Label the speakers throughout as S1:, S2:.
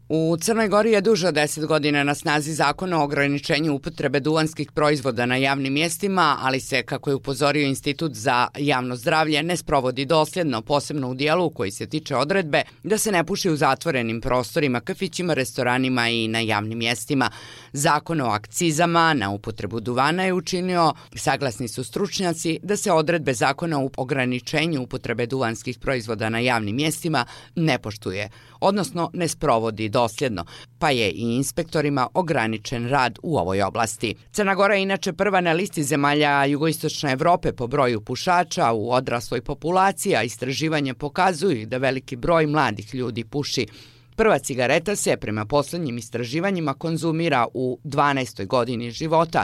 S1: U Crnoj Gori je duže od 10 godina na snazi zakon o ograničenju upotrebe duvanskih proizvoda na javnim mjestima, ali se, kako je upozorio Institut za javno zdravlje, ne sprovodi dosljedno, posebno u dijelu koji se tiče odredbe da se ne puši u zatvorenim prostorima, kafićima, restoranima i na javnim mjestima. Zakon o akcizama na upotrebu duvana je učinio, saglasni su stručnjaci, da se odredbe zakona o ograničenju upotrebe duvanskih proizvoda na javnim mjestima ne poštuje, odnosno ne sprovodi dosljedno, pa je i inspektorima ograničen rad u ovoj oblasti. Crna Gora je inače prva na listi zemalja jugoistočne Evrope po broju pušača u odrasloj populaciji, a istraživanja pokazuju da veliki broj mladih ljudi puši. Prva cigareta se, prema posljednjim istraživanjima, konzumira u 12. godini života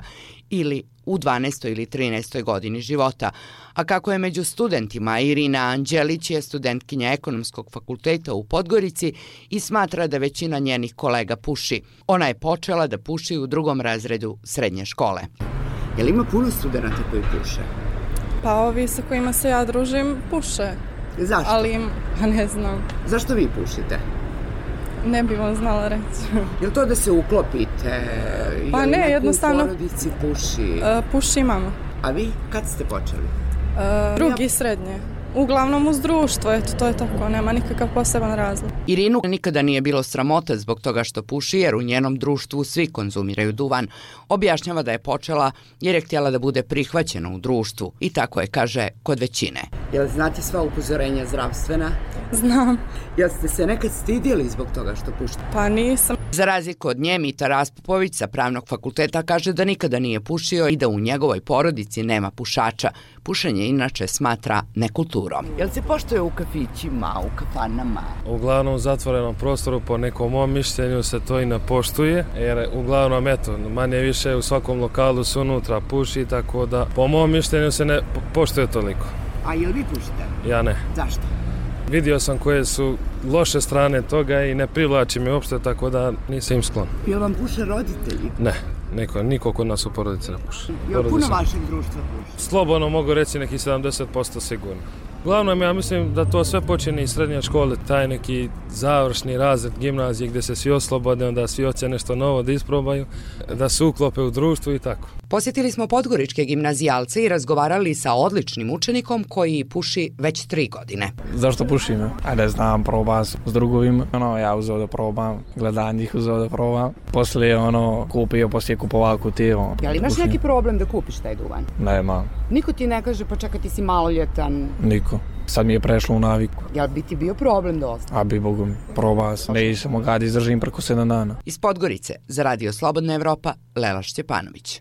S1: ili u 12. ili 13. godini života. A kako je među studentima, Irina Anđelić je studentkinja Ekonomskog fakulteta u Podgorici i smatra da većina njenih kolega puši. Ona je počela da puši u 2. razredu srednje škole. Je li ima puno studenata koji puše?
S2: Pa ovi sa kojima se ja družim puše.
S1: Zašto?
S2: Ali ne znam.
S1: Zašto vi pušite?
S2: Ne bih vam znala reći.
S1: Je li to da se uklopite?
S2: Pa ne, jednostavno.
S1: U porodici puši?
S2: Puši mama.
S1: A vi kad ste počeli?
S2: 2. srednje. Uglavnom uz društvo, eto, to je tako, nema nikakav poseban razlog.
S1: Irinu nikada nije bilo sramota zbog toga što puši, jer u njenom društvu svi konzumiraju duvan. Objašnjava da je počela jer je htjela da bude prihvaćena u društvu. I tako je, kaže, kod većine. Jel znate sva upozorenja zdravstvena?
S2: Znam.
S1: Jel ste se nekad stidjeli zbog toga što pušite?
S2: Pa nisam.
S1: Za razliku od nje, Mita Raspopović sa Pravnog fakulteta kaže da nikada nije pušio i da u njegovoj porodici nema pušača. Pušenje inače smatra nekulturom. Jel se poštuje u kafićima, u kafanama?
S3: Uglavnom u zatvorenom prostoru, po nekom mom mišljenju, se to i ne poštuje, jer uglavnom, eto, manje više u svakom lokalu se unutra puši, tako da po mom mišljenju se ne poštuje toliko.
S1: A jel vi pušite?
S3: Ja ne.
S1: Zašto?
S3: Vidio sam koje su loše strane toga i ne privlači mi uopšte, tako da nisam im sklon.
S1: Jel vam puše roditelji?
S3: Ne, niko kod nas u porodici ne puši.
S1: Jel puno vašeg društva puši?
S3: Slobodno mogu reći neki 70% sigurno. Uglavnom, ja mislim da to sve počinje iz srednje škole, taj neki završni razred gimnazije gdje se svi oslobode, onda svi hoće nešto novo da isprobaju, da se uklope u društvu i tako.
S1: Posjetili smo podgoričke gimnazijalce i razgovarali sa odličnim učenikom koji puši već 3 godine.
S4: Zašto pušim? Ne znam, probam s drugovima. Ja uzeo da probam, gledam njih uzeo da probam. Poslije kupio, poslije kupovao kutiju.
S1: Jel imaš neki problem da kupiš taj duvan?
S4: Nema.
S1: Niko ti ne kaže pa čekaj ti si maloljetan?
S4: Niko. Sad mi je prešlo u naviku.
S1: Jel bi ti bio problem da ostane?
S4: A bi Bogom, probao sam. Ne sam mogao da izdržim preko 7 dana.
S1: Iz Podgorice za Radio Slobodna Evropa, Lela Šćepanović.